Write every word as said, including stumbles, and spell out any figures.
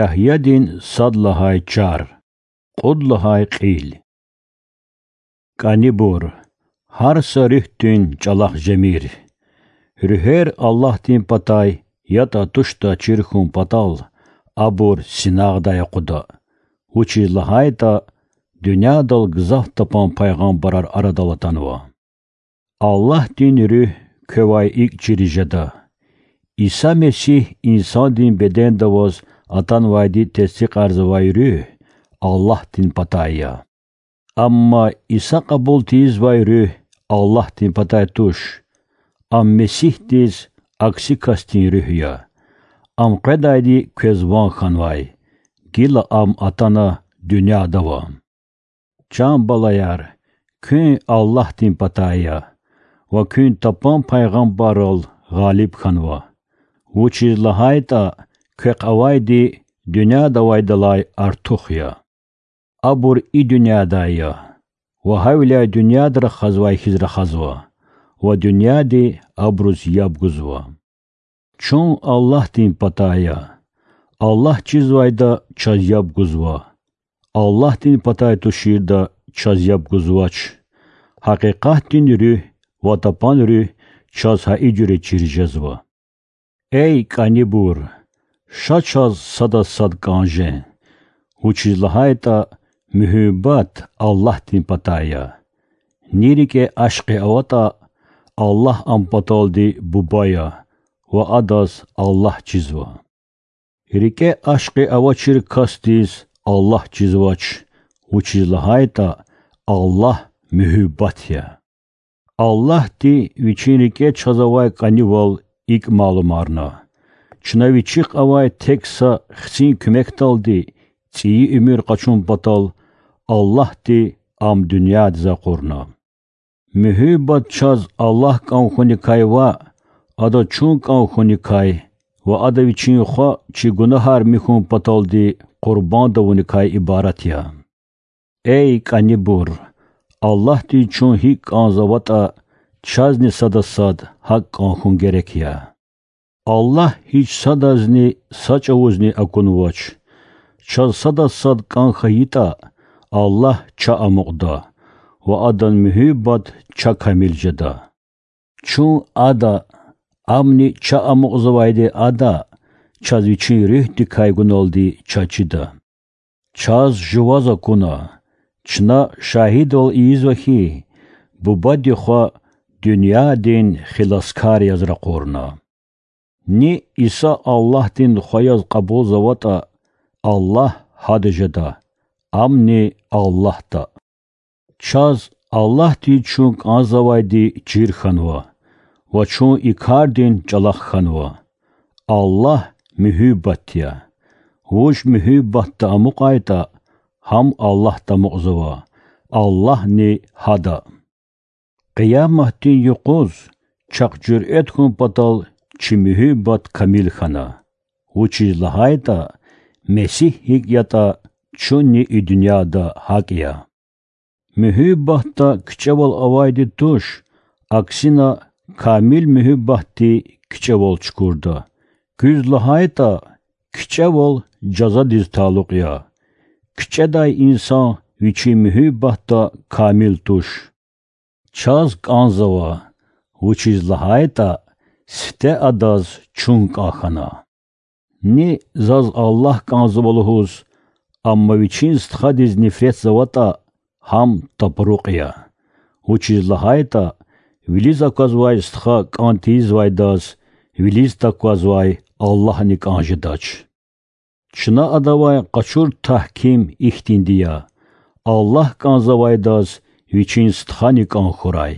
Ягьядин сад лагьай чар, кьуд лагьай кьил. КӀанибур, гьар са руьгьдин чӀалахъ жемир. Руьгьер Аллагьдин патай ятӀа туштӀа чир хьун патал, абур синагъдай акъуда, вучиз лагьайтӀа дуьньядал гзаф тапан пайгъамбарар арадал атанва. Аллагьдин Руьгь квевай икӀ чириз жеда. Иса Месигь инсандин бедендаваз атанвайди тестикьарзавай Руьгь Аллагьдин патай я. Амма Иса кьабул тийизвай Руьгь Аллагьдин патай туш. Ам Месигьдиз акси касдин руьгь я. Ам къведайди квез ван хьанвай, гила ам атана дуьньядава. Чан балаяр, куьн Аллагьдин патай я ва куьн тапан пайгъамбаррал гъалиб хьанва, вучиз лагьайтӀа квехъ авайди дуьньяда авайдалай артух я. Абур и дуьньядай я ва гьавиляй дуьньяда рахазвай хьиз рахазва, ва дуьньяди абуруз яб гузва. Чун Аллагьдин патай я. Аллагь чизвайда чаз яб гузва. Аллагьдин патай туширда чаз яб гузвач. Гьакъикъатдин Руьгь ва тапан Руьгь чаз гьа и жуьре чир жезва. Эй кӀанибур, ша чаз садаз сад кӀан жен, вучиз лагьайтӀа муьгьуьббат Аллагьдин патай я. Ни рикӀе ашкъи аватӀа, Аллагь ам паталди Буба я ва адаз Аллагь чизва. РикӀе ашкъи авачир касдиз Аллагь чизвач, вучиз лагьайтӀа Аллагь муьгьуьббат я. Аллагьди Вичин рикӀе чаз авай кӀанивал икӀ малумарна: чна Вичихъ авай тек са Хцин куьмекдалди цӀийи уьмуьр къачун патал Аллагьди Ам дуьньядиз акъурна. Муьгьуьббат чаз Аллагь кӀан хьуникай ва Ада чун кӀан хьуникай ва Ада Вичин Хва чи гунагьар михьун паталди къурбанд авуникай ибарат я. Эй кӀанибур, Аллагьдиз чун гьикӀ кӀанзаватӀа, чазни садаз сад гьакӀ кӀан хьун герек я. Аллагь гьич садазни са чӀавузни акунвач. Чаз садаз сад кӀан хьайитӀа, Аллагь ча амукьда ва Адан муьгьуьббат ча камил жеда. Чун Ада, Амни ча амукьзавайди Ада, чаз Вичин Руьгьдикай гуналди чаз чида. Чаз жуваз акуна, чна шагьидвал ийизва хьи, Бубади Хва дуьньядин хиласкар яз ракъурна. Ни Иса Аллагьдин Хва яз кьабулзаватӀа, Аллагь Гьада жеда, Амни Аллагьда. Чаз Аллагьдиз чун кӀанзавайди чир хьанва ва чун и кардин чӀалахъ хьанва. Аллагь муьгьуьббат я. Вуж муьгьуьббатда амукьайтӀа, гьам Аллагьда амукьзава, Аллагьни Гьада. Къияматдин юкъуз чахъ жуьрет хьун патал чи муьгьуьббат камил хьана, вучиз лагьайтӀа Месигь гьикӀ ятӀа, чунни и дуьньяда гьакӀ я. Муьгьуьббатда кичӀевал авайди туш, аксина, камил муьгьуьббатди кичӀевал чукурда, куьз лагьайтӀа кичӀевал жазадиз талукь я. КичӀедай инсан вичин муьгьуьббатда камил туш. Чаз кӀанзава, вучиз лагьайтӀа сифте адаз чун кӀан хьана. Ни заз Аллагь кӀанзава лугьуз, амма вичин стхадиз нифретзаватӀа, гьам тапрукь я. Вучиз лагьайтӀа вилиз аквазвай стха кӀан тийизвайдаз вилиз таквазвай Аллагьни кӀан жедач. Чна адавай къачур тагьким ихьтинди я: Аллагь кӀанзавайдаз вичин стхани кӀан хьурай.